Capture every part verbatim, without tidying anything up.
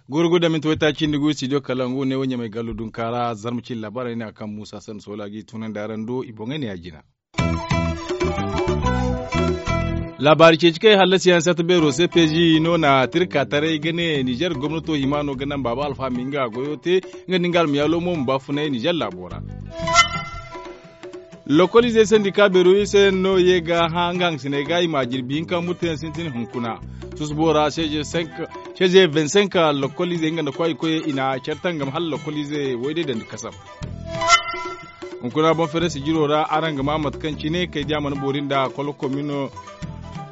Gurgu da minti waytaaci nda gu studio kalangu ne wo ɲamay gallo dunkaara zarma cine laabaarey ne a kaŋ muusa sanni soola ga i tunandi araŋ do i boŋey ne ya jina. Laabaari ceeci kaŋ i hallasi yaŋ sata beero se peezi no na tirka taray ga ne nizer gomnato hima no ga naŋ baaba alfa ma nga goyo te nga nda nga almayaalo mo ma baafunay nizer laabo ra. Lokoliizey sandika beero iri se yaŋ no ye ga hã nga hangasiney ga i ma jirbi hinka murtayaŋ sintin hunkuna. Susubo ra seeze vingt-cinq lokoliizey nga nda kwaay koyey i na care tangam hala lokoliize wayday dandi kasam. Hunkuna boŋ ferensi jiro ra araŋ ga ma mate kaŋ cine kay diya mana boori nda kolokomi no.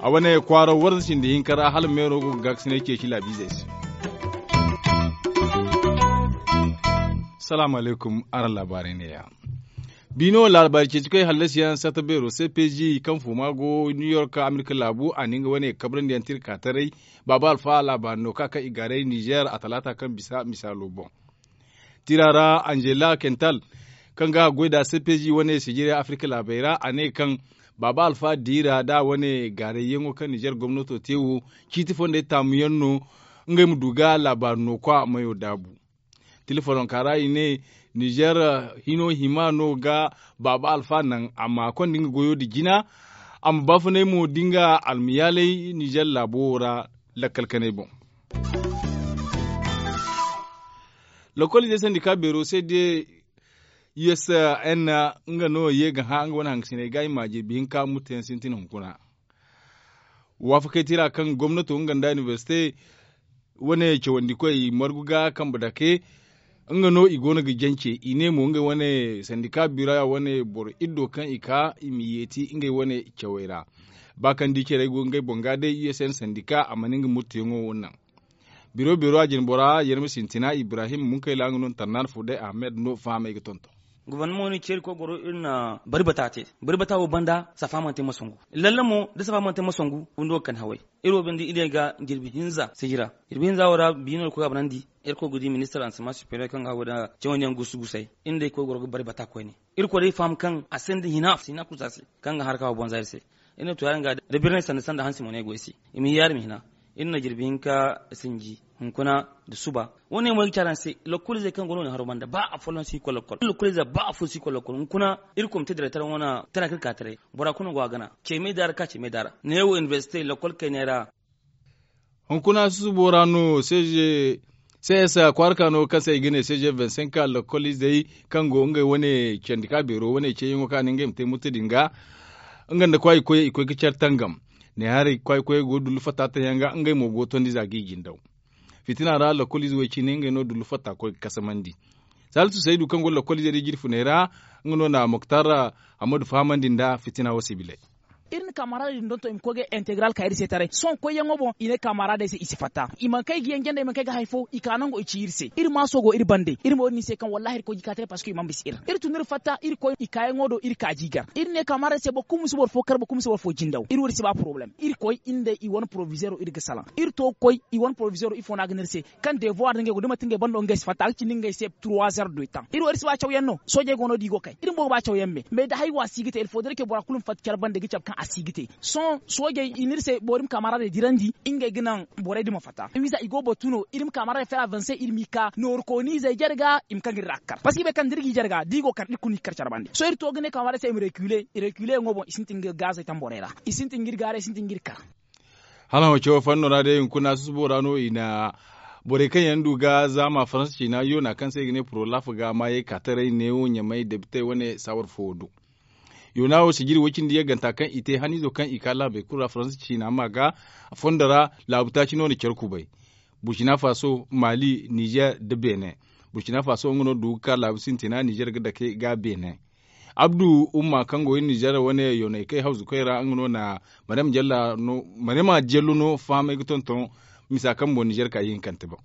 A wane kwaaro warza cindi hinka ra hala meero go ga gaakasinay ceeci laabiizey se. Salaamu alaykum. Araŋ laabaarey ne- ya. Biino laabaari ceeci koy hallasi yaŋ sata beero se peezi kaŋ fuuma go new york amerika laabu a na nga wane kabrandi yaŋ tirka taray. Baaba alfa laabaari no ka kaŋ i gaaray nizer a talaata kaŋ bisa misaalo boŋ. Tira ra anzela kental kaŋ ga goy da se peezi wane sijiri afirka laabey ra a ne kaŋ baaba alfa diira da wane gaarayyaŋo kaŋ nizer gomnato te wo ciiti fondey taamu yaŋ no. Ngey ma du ga laabaari no kwa mayo daabu. Telefononka ra i ne nizer hino hima no ga baaba alfa naŋ a ma konda nga goyo nda jina. A ma baafunay mo da nga almayaalay nizer laabo wo ra lakkal kanay boŋ. Lokoliizey sandika beero se de usn nga no ye ga hã nga wane hangasiney ga i ma jirbi hinka murtayaŋ sintin hunkuna. Waafakey tira kaŋ gomnato nga nda inibersite wane cawandi koy i margu ga kambe dake. Nga no i go no ga jance i ne mo ngey wane sandika bira wane boro iddo kaŋ i ka i ma yeeti ngey wane cawey ra. Ba kaŋ di carey go ngey boŋ ga day usn sandika a mana nga murtayaŋo wo naŋ. Biro biro a jine bora yerma sintina ibrahim munkayla nga no na tarnaana fo day ahmed no fahamey ga tonton. Gobornamo no ceeri koy goro iri na bari bata te. Bari bata wo banda safa mana te masangu. Lalle mo da safa mana te masangu windo ga kani haway. Iri wo binde iri ga jirbi hinza sijira. Jirbi hinza wo ra biino iri koy ga banandi. Iri koy ga di ministar ansama superior kaŋ ga haway da cawandiyaŋ gusu gusay. Iri day koy goro ga bari bata koyne. Iri koy day faham kaŋ a sinda hina a si hina kulu se a se. Kaŋ ga haraka wo bonza iri se. Iri na to yaadin ga da birnay sanda sanda hansi mo no ay go ay se. I ma yaadin ma hina. Iri na jirbi hinka sinji hunkuna nda suba. Wo- ne mo ay ga ci araŋ se. Lokoliizey kaŋ go no wo- ne haro banda ba afo no si koy lokol lokoliize ba afo si koy lokol hunkuna. Iri komite direkter wane tana kaŋ iri ka taray bora kulu no go a gana ce me daara ka ce me daara neewo inibersite lokol kayney ra. Hunkuna susubo ra no seeze cs kwaaraka no kaŋ se i ga ne seeze vingt-cinq lokoliizey kaŋ go ngey wane candi ka beero wane ceeyaŋo kaŋ a ne ngey ma te murte din ga. Nga nda kwaay koyey i koy ga care tangam. Ne haray kwaay koyey go dullu fatta taŋ yaŋ ga ngey mo go tondi za ga i jindaw. Fitina ra lokoliize way cine ngey no dullu fatta koy ga kasamandi. Salisu saydu kaŋ go lokoliize da jirfuney ra nga no na moktar hammadu fahamandi nda fitina wo sibilay. Iri na kamarada din donton i ma koy ga integral ka iri se taray sohõ koyyaŋo boŋ i ne kamarada se i si fatta i mana kay ga yaŋ janda i mana kay ga hari fo i ka nango i ci iri se iri maaso go iri bande iri mo iri no i se kaŋ wallahi iri koy ga i ka taray parceque i mana bisa iri iri tun iri fatta iri koy i kaayaŋo do iri ka jigar iri ne kamarada se boro kulu ma si boro fo kar boro kulu ma si boro fo jindaw iri wo iri si ba poroblem iri koy iri nda i wane porovizeero iri ga salaŋ iri to ga koy i wane porovizeero ifo no a ga ne iri se kaŋ devoir nda ngey go da manti ngey bando ngey si fatta a ga cindi ngey se trois heures de temps iri wo iri si ba cawyaŋ no soojey go no da i go kay iri bumbo ga ba cawyaŋ me mais da hari wo a si ga te ilfo da iri ke bora kulu ma fatta care bande ga cabe kaŋ a si ga te sohõ soojey i ne iri se boro iri ma kamaraaday dirandi ngey ga naŋ borey din ma fatta wiiza i go batu no iri ma kamaraaday fera vingt-cinq iri m'i ka nooru kooniizey jarga i ma kaŋ iri ra ga kar parceque i bay kaŋ da iri g'i jarga da i go kar iri kulu no i ga kar care bande sohõ iri to ga ne kamaraaday se i ma rekile i rekile yaŋo boŋ i sintin ga gaazey tamborey ra i sintin ga iri gaaray i sintin ga iri kar. Hala wo cawo fanno ra day hunkuna susubo ra no i na borey kaŋ yaŋ du ga zaama faransa ciina yoona kaŋ se i ga ne purolaf ga maayey ka taray neewo ɲamay depitey wane saawar fo do. Yoona wo sijiri way-cindi yagganta kaŋ i te haniizo kaŋ i ka laabey kulu ra faransa ciina ma ga fondo ra laabu taaci no na care kubay. Burkina faso, mali, nizer nda benin. Burkina faso nga no du ga ka laabu sintina nizer ga dake ga benin. Abdu umma kaŋ go iri nizer wane yoonay kay hawzu koy ra nga no na maryama jello no fahamay ga tonton misa kaŋ boŋ nizer ka ihinkante boŋ.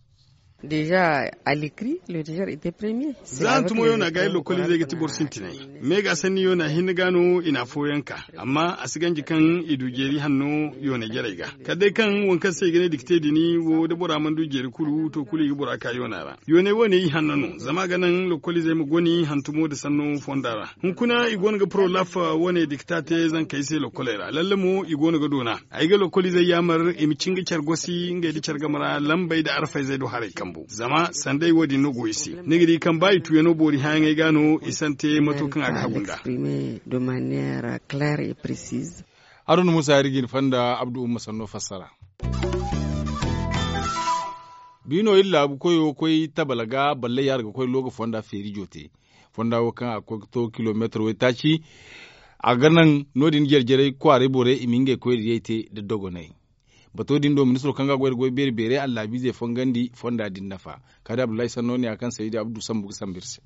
Deeza a likri le deeza ite premier. Za hantumo yoona ga iri lokoliizey ga ti boro sintinay. Me ga sanni yoona hinne ga no i na afooyaŋ ka. Amma a si ganji kaŋ i du jeeri hanno yoonay jarey ga. Kala day kaŋ waŋ kaŋ se i ga ne dikte din wo da bora mana du jeeri kulu to kulu i ga bora ka yoona ra. Yoonay wo- ne i hanno no zama a ga naŋ lokoliizey ma goni hantumo nda sanno fonda ra. Hunkuna i go no ga porolaf wo- ne dikta te zankey se lokoley ra lalle mo i go no ga doona. Ay ga lokoliizey yaamar i ma cin ga care gosi ngey nda care game ra lambey nda arfayzey do haray kambu zama sanday wo- din no go i se. Ni ga di kaŋ ba i tuuyano boori hããyaŋey ga no i sante mato kaŋ a ga hagu nda. Haruna musa iri ga ni fonda abdu umma sanno fassara. Biino iri laabu koyo koy tabala ga balle yaara ga koy looga fonda feeri joote. Fonda wo kaŋ a ga koy ga to kilomeetar waytaaci. A ga naŋ no- din jare-jarey kwaaray borey i ma ngey koy da yay te nda dogonay. Bato din do ministiro kaŋ ga a goy nda goy beeri beeray allaabiizey fongandi fonda din nafa. Kaadi abdullahi sanno ne ya kaŋ saydi abdu sambu ga sambu iri se.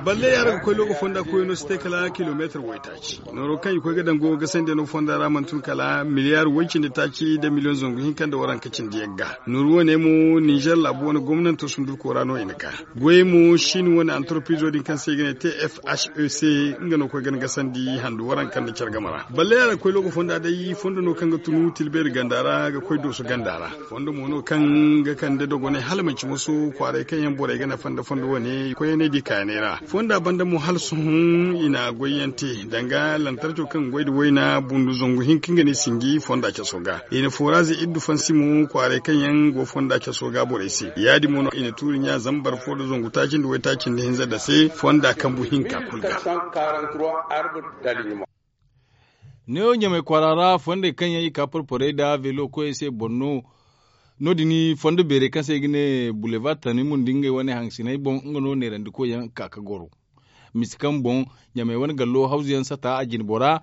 Balle yaara ga koy looga fonda koyno si te kala kilomeetar waytaaci. Nooro kaŋ i koy ga daŋ go gasandiyano fonda ra mana tun kala miliyaar way cindi taaci nda miliyoŋ zangu hinka nda waranka cindi yagga. Nooru wo- ne mo ninzeer laabu wane gomnanto sundurko ra no i na ka. Goyey mo siini wane antarpiizo din kaŋ se i ga ne tfhec nga no koy ga ni gasandi handu waranka nda care game ra. Balle yaara ga koy looga fonda day fondo no kaŋ ga tunu tilbeeri ganda ra ga koy dooso ganda ra. Fondo mo no kaŋ ga kande dogonay hala manci moso kwaaray kaŋ yaŋ borey ga nafa nda fondo wane koyanay di kaayanay ra. Fonda banda mo hala sohõ i na goyyaŋ te danga lantarco kaŋ ga goy nda wayna bundu zangu hinka nga ne sinji fonda caso ga. I na foraze iddu fansi mo kwaaray kaŋ yaŋ go fonda caso ga borey se ya- din mo no i na tuuri ɲa zambar fo nda zangu taaci nda waytaaci nda hinza nda se fonda kambu hinka kulu ga. Neewo ɲamey kwaara ra fondey kaŋ yaŋ i ka porporey nda veelo koyey se boŋ no. No- din fondo beerey kaŋ se i ga ne bulevar tanimun nda ngey wane hangasiney boŋ nga no neerandikoy yaŋ ka ga goro. Misi kaŋ boŋ ɲamey wane gallo hawzu yaŋ sata a jine bora.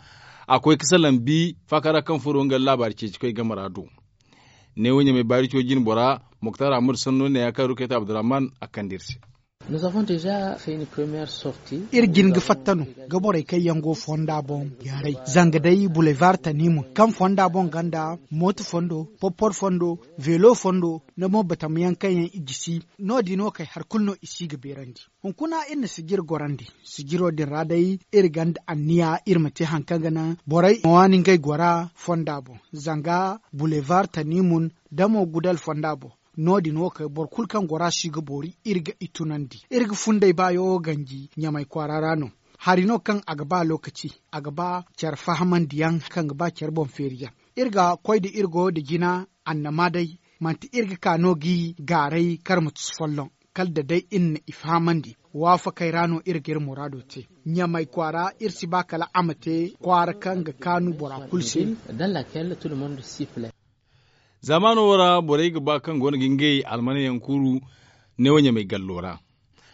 A koy ga salaŋ bi faaka ra kaŋ furo nga laabaari ceecikoy game ra do. Neewo ɲamey baarico jine bora moktar ahmadu sanno ne ya kaŋ rukayta abdurrahman a kande iri se. Iri jin ga fatta no ga borey kaŋ yaŋ go fonda boŋ yaaray zanga day bulevar tanimun kaŋ fonda boŋ ganda mooto fondo porpor fondo veelo fondo nda mo batamayaŋ kaŋ yaŋ i gisi. No- din wo kay hari kulu no i si ga beerandi. Hunkuna iri na sijir gorandi sijiro din ra day iri gonda anniya iri ma te hari kaŋ ga naŋ borey ma waani ngey gora fonda boŋ zanga bulevar tanimun da mo gudal fonda boŋ. No- din wo kay boro kulu kaŋ gora si ga boori iri ga i tunandi iri ga funday baayo ganji ɲamay kwaara ra no. Hari no kaŋ a ga ba lookaci a ga ba care fahamandiyaŋ kaŋ ga ba care boŋ feeriyaŋ. Iri ga koy nda iri goyo nda jina annama day manti iri ga ka no g'i gaaray kar ma tusu folloŋ. Kala da day iri na i fahamandi waafakey ra no iri ga iri muraado te. Ɲamay kwaara iri si ba kala a ma te kwaara kaŋ ga kaanu bora kulu se. Zamaano wo ra borey ga ba kaŋ go no ga ngey almana yaŋ kuru neewo ɲamey gallo ra.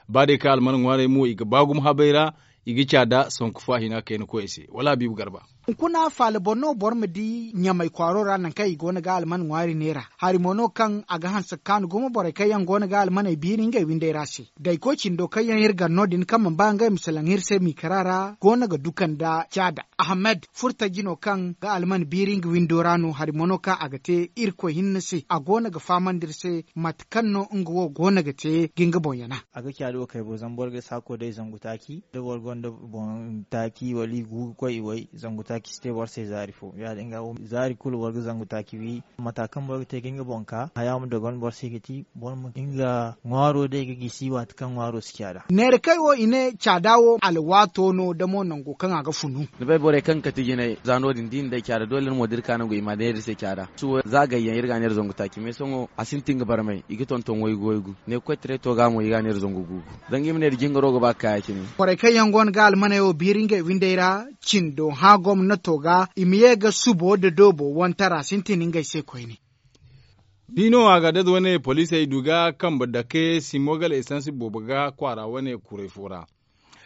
Ba day kaŋ almana ŋwaarey mo i ga ba gumo habey ra i ga caada sanku faahina kayna koyey se wala habiibu garba. Hunkuna faala boŋ no boro ma di ɲamay kwaaro ra nangu kaŋ i go no ga alman ŋwaari neera hari mo no kaŋ a ga hanse ga kaanu gumo borey kaŋ yaŋ go no ga almaney biiri ngey windey ra se. Daykoy cindo kaŋ yaŋ iri gar no- din kaŋ mana ba ngey ma salaŋ iri se miikara ra go no ga duka nda caada. Ahmed furtaji no kaŋ ga alman biiri nga windo ra no hari mo no kaŋ a ga te irkoy hinne se a go no ga fahamandi iri se mate kaŋ no nga wo go no ga te ga nga boŋ yana. A ga caada wo kay bo zama boro ga saako day zangu taaci da boro gonda boŋ taaci wala i gu ga koy i way zangu taaci si te boro se zaari fo ya- din ga zaari kulu boro ga zangu taaci wi. Mata kaŋ boro ga te ga nga boŋ ka haya ma dogon boro se ga ti boro ma nga ŋwaaro day ga gisi waati kaŋ ŋwaaro si caada. Neera kay wo i ne caada wo alwaato no da mo nango kaŋ a ga funu. Ni bay borey kaŋ ga kati jinay za no- din da i na day caada doole ni mo da iri ka nangu i ma neera iri se caada. Suwo za gayyaŋ iri ga a neera zangu taaci me sohõ a sintin ga barmay i ga tonton waygu waygu ne koytaray to ga mo i ga a neera zangu guugu. Zanga i ma ne da jingaro ga ba ga ka ya- cine. Borey kaŋ yaŋ go no ga almaney wo biiri ngey windey ra cindo hã gomnato ga i ma ye ga subo nda doobo wantara sintin ngey se koyne. Biino a ga dad wane poliisey du ga kambe dake simogal esansi boobo ga kwaara wane kuray fo ra.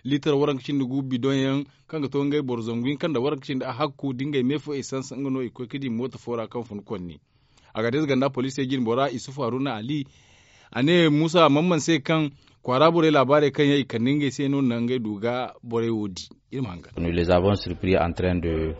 Liitar waranka cindi gu bidoŋ yaŋ kaŋ ga to ngey boro zangu hinka nda waranka cindi a hakku da ngey me fo esansi nga no i koy ga di mooto fo ra kaŋ fun konni. A ga deeze ganda poliisey jine bora isufu haruna ali. A ne muusa mamman se kaŋ kwaara borey laabaarey kaŋ yaŋ i kande ngey se no naŋ ngey du ga borey wo di. Iri ma hangan.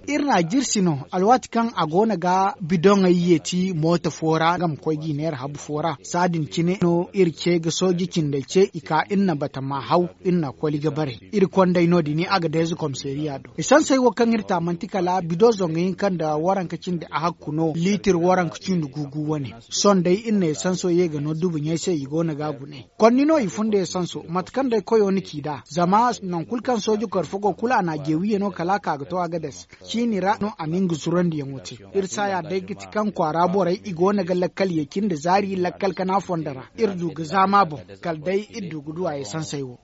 Iri n'a jirsi no alwaati kaŋ a go no ga bidoŋey yeeti mooto fo ra nga ma koy g'i neera habu fo ra saadin cine no iri ce ga sooji cindey ce i ka iri na batama haw. Iri na koli ga bare iri kondey no- din a ga deeza komiseeriya do esansey wo kaŋ iri ta manti kala bido zangu hinka nda waranka cindi a hakku no liitir waranka cindi guugu wane. Sohõ day iri na esanso ye ga no dubuɲey se i go no ga a gune. Konni no i funda esanso mate kaŋ day koyo ni ci nd'a zama nangu kulu kaŋ sooji koro fo go kulu a na a jeewiye no kala a ka ga to a ga dase. Ciini ra no a na nga zurandiyaŋo te. Iri saaya day ga ti kaŋ kwaara borey i go no ga lakkal ye cindi zaari lakkal kana fondo ra iri du ga zaama boŋ. Kala day iri du ga du a esansey wo.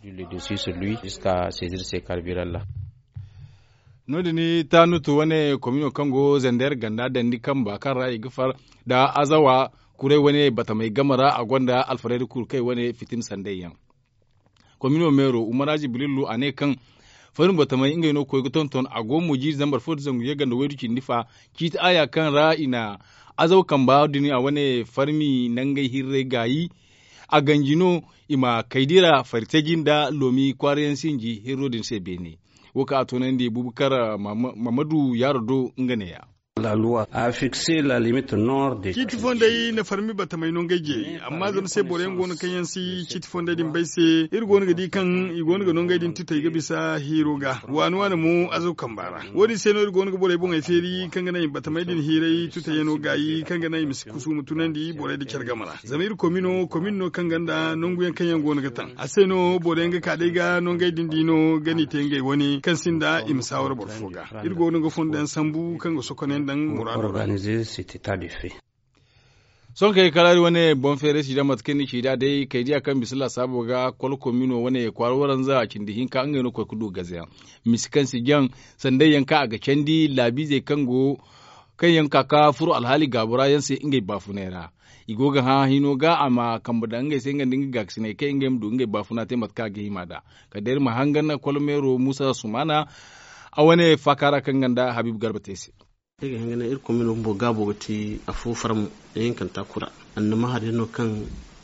No- din tanutu wane komino kaŋ go zander ganda dandi kamba kaŋ ra i ga far nda azawa kuray wane batamey game ra a gonda alfarayda kulu kaŋ i wane fitin sanday yaŋ. Komino meero umaraji bilillu a ne kaŋ farmi batamey ngey no ga koy ga tonton a go mo jiiri zambar fo nda zangu yagga nda waydu cindi fa ciiti aya kaŋ ra i na azawa kamba din a wane farmi nangey hirray gaayi. A ganji no i ma kaydi ra fari taji nda loomi kwaarayaŋ sinji hirro din se beene. Wo kaŋ a toonandi bubakar mamadu yaaro do nga neeya. Ciiti fondey na farmi batamey no ngey jeeri amma zama se boro yaŋ go no kaŋ yaŋ si ciiti fondey din bay se iri go no ga di kaŋ i go no ga no ngey din tutey ga bisa hiiro ga waani waani mo azaw kamba ra. Wo- din se no iri go no ga borey boŋey feeri kaŋ ga naŋ i ma batamey din hiiray tutey yaŋo gaayi kaŋ ga naŋ i ma si kusu ma tunandi borey nda care game ra. Zama iri komin no komin no kaŋ gonda nangu yaŋ kaŋ yaŋ go no ga taŋ a se no boro yaŋ ga ka day ga no ngey din di no ga n'i te ngey wane kaŋ sinda i ma saawara boro fo ga. Iri go no ga fondo yaŋ sambu kaŋ ga sokoney daŋ muraado ra. Sohõ kay kala iri wane boŋ feeray si daŋ mate kaŋ ni ci nd'a day kay diya kaŋ bisa laasaabo ga kolo komino wane kwaara waranza cindi hinka ngey no ga koy ga du gaze yaŋ. Misi kaŋ si jaŋ sanday yaŋ kaŋ a ga candi laabiizey kaŋ go kaŋ yaŋ ka ga furo alhaali gaabo ra yaŋ se ngey baafunay ra. I go ga hã hino ga a ma kambe daŋ ngey se nga nda nga gaakasiney kaŋ ngey ma du ngey baafuna te mate kaŋ a ga hima nd'a. Kala day iri ma hangan kolo meero muusa sumaana a wane faaka ra kaŋ nga nda habiibu garba te se. Iri ga hin ga ne iri komino bumbo gaabo ga ti afo farmo ihinkanta kura. Annama hari yaŋ no kaŋ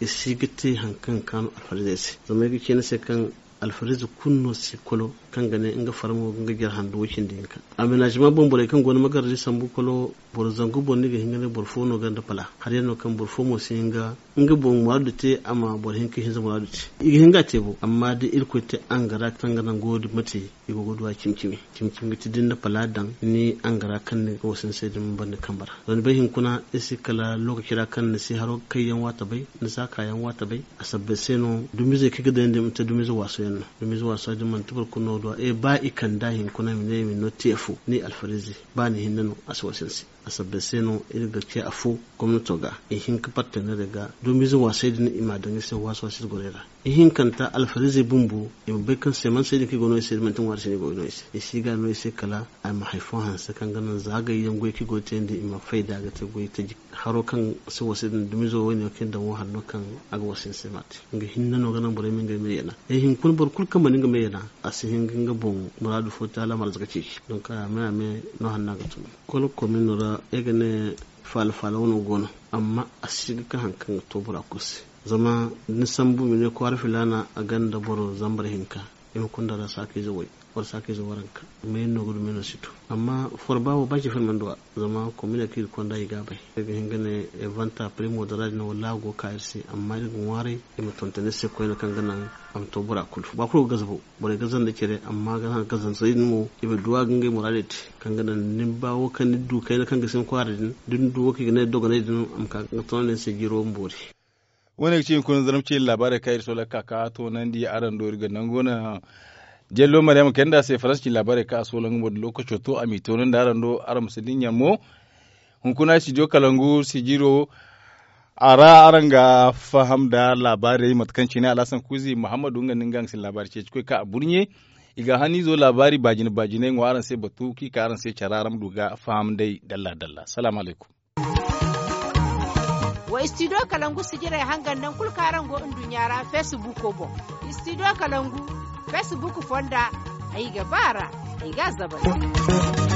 i si ga te hari kaŋ ga kaanu alfariizey se zama ay ga ci ni se kaŋ alfariize kulu no si kolo kaŋ ga ne nga farmo ga nga jare handu way cindi hinka. Amenaazima boŋ borey kaŋ go no magaradi sambu kolo boro zangu boŋ ni ga hin ga ne boro fo no ga nda pala hari yaŋ no kaŋ boro fo mo si hin ga nga boŋ muraadu te a ma boro hinka hinza muraadu te. I ga hin ga a te bo amma da irkoy te angara kaŋ ga naŋ goyo din ma te i go ga du a cimi cimi. Cimi cimi ga ti da ni na pala daŋ ni angara kaŋ ni ga wasin se din ma ban ni kambe ra zama ni bay hinkuna iri si kala lookaci ra kaŋ ni si haro kayyaŋ waati bay ni si a kaayaŋ waati bay. A sabbay se no dumiizey kaŋ i ga daŋ yaŋ din manti dumiize waaso yaŋ no. Dumiize waaso din manti boro kulu no ga du a ba i kand'a hinkuna i ma ne i ma ni no te afo ni alfariize ba ni hinne no a si wasin se. A sabbay se no iri ga ce afo gomnato ga i hin ga parteneerey ga dumiize waasey din i m'a daŋ iri se waasu waasu iri gorey ra. Ihinkanta alfariizey bumbo i ma bay kaŋ seemansey din kaŋ i go no i se din manti ŋwaari se no i go no i se i si ga no i se kala a ma hari fo hanse kaŋ ga naŋ za gayyaŋ goy kaŋ i go ga te yaŋ din i ma fayda ga te goy taji haro kaŋ si wasa din dumiizo wayne kaŋ daŋ wo hari no kaŋ a ga wasa ni se m'a te. Nga hinne no ga naŋ borey ma ngey me yana ay hinkuna boro kulu kaŋ mana nga me yana a si hin ga nga boŋ muraadu fo te hala a ma arzaka ceeci donk a me a me no hanna ga tun. Kolo komino ra ay ga ne faala faala wano go no amma a si ga ka hari kaŋ ga to bora kulu se. Zama da ni sambu ma ne kwaara filaana a gonda boro zambar hinka i ma kunda ra saakayze way wala saakayze waranka. Meeyaŋ no ga du meeyaŋ no si to amma forba wo ba ceefari mana du a zama komina kaŋ iri konda i ga a bay iri ga hin ga ne evanta primo da ra din wala a go ga ka iri se amma iri ga ŋwaaray i ma tonton iri se koyne kaŋ ga naŋ a ma to bora kulu ba kulu ga gazabu borey gaza nda care amma ga naŋ gazansey din mo i ma du a ga ngey muraadey te. Kaŋ ga naŋ ni ba wo kaŋ ni du kayna kaŋ ga sin kwaara din da ni du wo kaŋ i ga ne dogonay din a ma ka ga tonton iri se jiiro ma boori. Wo- ne ga ci hunkuna zarma ci laabaarey kaŋ iri soola ga ka ga toonandi araŋ do iri ga nangu no. Jello maryama kayna nda a se faransa ci laabaarey kaŋ a soola nga mo da lookaco to a m'i toonandi araŋ do araŋ ma si dinya mo. Hunkuna studio kalangu sijiro a ra araŋ ga faham nda laabaarey mate kaŋ cine alhasan kuuzi muhammadu nga nda nga nga si laabaari ceeci koy kaŋ a burɲe. I ga haniizo laabaari baajine baajiney ŋwa araŋ se batu kaŋ i ka araŋ se care araŋ ma du ga faham nd'ey dalla dalla salaamu alaykum. Wa studio kalangu sijirey hangan nangu kulu kaŋ araŋ go nduɲɲa ra feesibuuko boŋ. Studio kalangu feesibuuk fonda ay ga ba a ra ay ga a zabari.